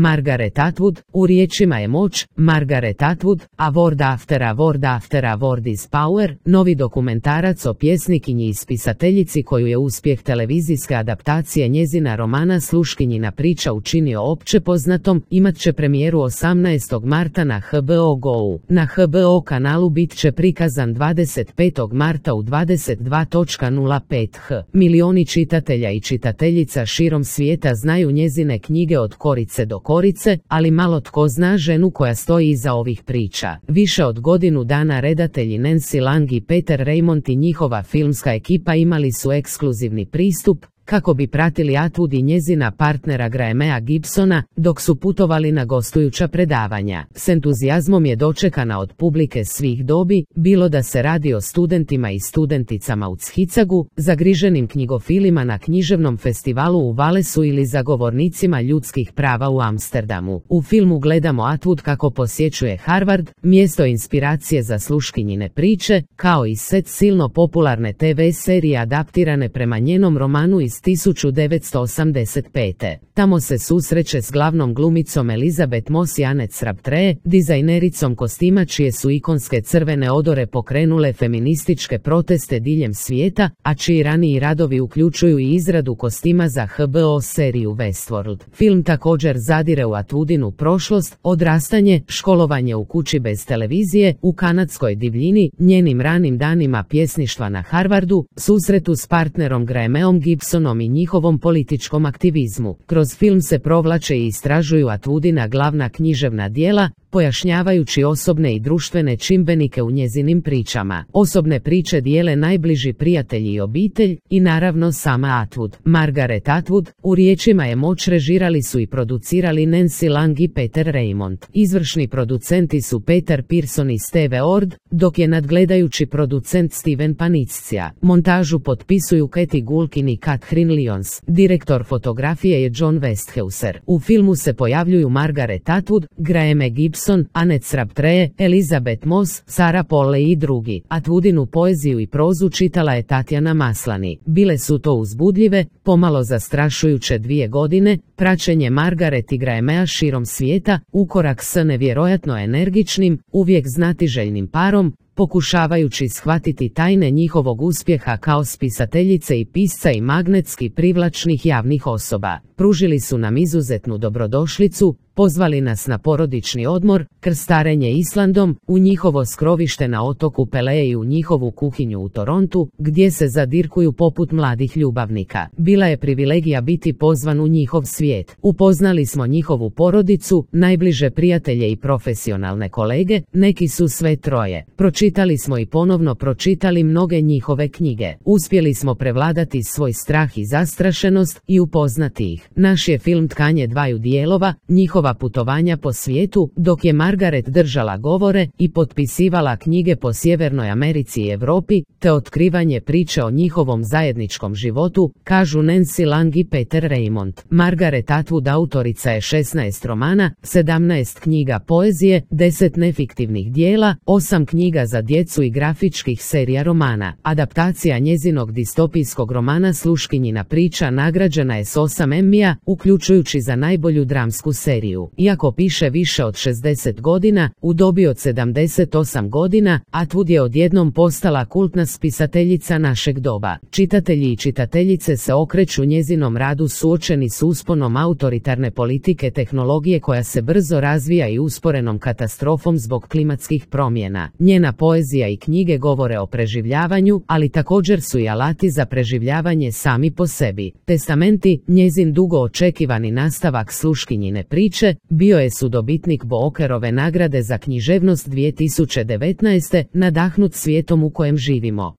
Margaret Atwood, u riječima je moć, Margaret Atwood, A Word After a Word After a Word is Power, novi dokumentarac o pjesnikinji i spisateljici koju je uspjeh televizijske adaptacije njezina romana Sluškinjina priča učinio opće poznatom, imat će premijeru 18. marta na HBO Go. Na HBO kanalu bit će prikazan 25. marta u 22:05 h. Milioni čitatelja i čitateljica širom svijeta znaju njezine knjige od korice do korice, ali malo tko zna ženu koja stoji iza ovih priča. Više od godinu dana redatelji Nancy Lang i Peter Raymond i njihova filmska ekipa imali su ekskluzivni pristup kako bi pratili Atwood i njezina partnera Grahamea Gibsona dok su putovali na gostujuća predavanja. S entuzijazmom je dočekana od publike svih dobi, bilo da se radi o studentima i studenticama u Chicagu, zagriženim knjigofilima na književnom festivalu u Walesu ili zagovornicima ljudskih prava u Amsterdamu. U filmu gledamo Atwood kako posjećuje Harvard, mjesto inspiracije za Sluškinjine priče, kao i set silno popularne TV serije adaptirane prema njenom romanu iz 1985. Tamo se susreće s glavnom glumicom Elizabeth Moss i Annette Crabtree, dizajnericom kostima čije su ikonske crvene odore pokrenule feminističke proteste diljem svijeta, a čiji raniji radovi uključuju i izradu kostima za HBO seriju Westworld. Film također zadire u Atwoodinu prošlost, odrastanje, školovanje u kući bez televizije, u kanadskoj divljini, njenim ranim danima pjesništva na Harvardu, susretu s partnerom Grahameom Gibsonom i njihovom političkom aktivizmu. Kroz film se provlače i istražuju Atwoodina glavna književna djela, pojašnjavajući osobne i društvene čimbenike u njezinim pričama. Osobne priče dijele najbliži prijatelji i obitelj, i naravno sama Atwood. Margaret Atwood, u riječima je moć režirali su i producirali Nancy Lang i Peter Raymond. Izvršni producenti su Peter Pearson i Steve Ord, dok je nadgledajući producent Steven Paniccia. Montažu potpisuju Katie Gulkin i Catherine Lyons. Direktor fotografije je John Westhauser. U filmu se pojavljuju Margaret Atwood, Graham Gibson, Annette Crabtree, Elizabeth Moss, Sarah Polley i drugi. Atwoodinu poeziju i prozu čitala je Tatjana Maslany. Bile su to uzbudljive, pomalo zastrašujuće 2 godine, praćenje Margaret i Grahamea širom svijeta, ukorak s nevjerojatno energičnim, uvijek znatiželjnim parom, pokušavajući shvatiti tajne njihovog uspjeha kao spisateljice i pisca i magnetski privlačnih javnih osoba. Pružili su nam izuzetnu dobrodošlicu, pozvali nas na porodični odmor, krstarenje Islandom, u njihovo skrovište na otoku Pelea i u njihovu kuhinju u Torontu, gdje se zadirkuju poput mladih ljubavnika. Bila je privilegija biti pozvan u njihov svijet. Upoznali smo njihovu porodicu, najbliže prijatelje i profesionalne kolege, neki su sve troje. Pročitali smo i ponovno pročitali mnoge njihove knjige. Uspjeli smo prevladati svoj strah i zastrašenost i upoznati ih. Naš je film tkanje dvaju dijelova, njihova putovanja po svijetu, dok je Margaret držala govore i potpisivala knjige po Sjevernoj Americi i Europi, te otkrivanje priče o njihovom zajedničkom životu, kažu Nancy Lang i Peter Raymond. Margaret Atwood autorica je 16 romana, 17 knjiga poezije, 10 nefiktivnih dijela, 8 knjiga za djecu i grafičkih serija romana. Adaptacija njezinog distopijskog romana Sluškinjina priča nagrađena je s 8 Emmija, uključujući za najbolju dramsku seriju. Iako piše više od 60 godina, u dobi od 78 godina, Atwood je odjednom postala kultna spisateljica našeg doba. Čitatelji i čitateljice se okreću njezinom radu suočeni s usponom autoritarne politike tehnologije koja se brzo razvija i usporenom katastrofom zbog klimatskih promjena. Njena poezija i knjige govore o preživljavanju, ali također su i alati za preživljavanje sami po sebi. Testamenti, njezin dugo očekivani nastavak Sluškinjine priče, bio je sudobitnik Bookerove nagrade za književnost 2019. nadahnut svijetom u kojem živimo.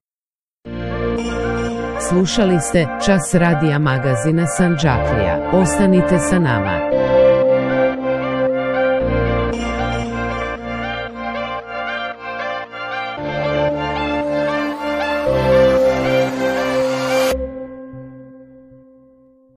Slušali ste Čas radija magazina Sandžaklija. Ostanite sa nama.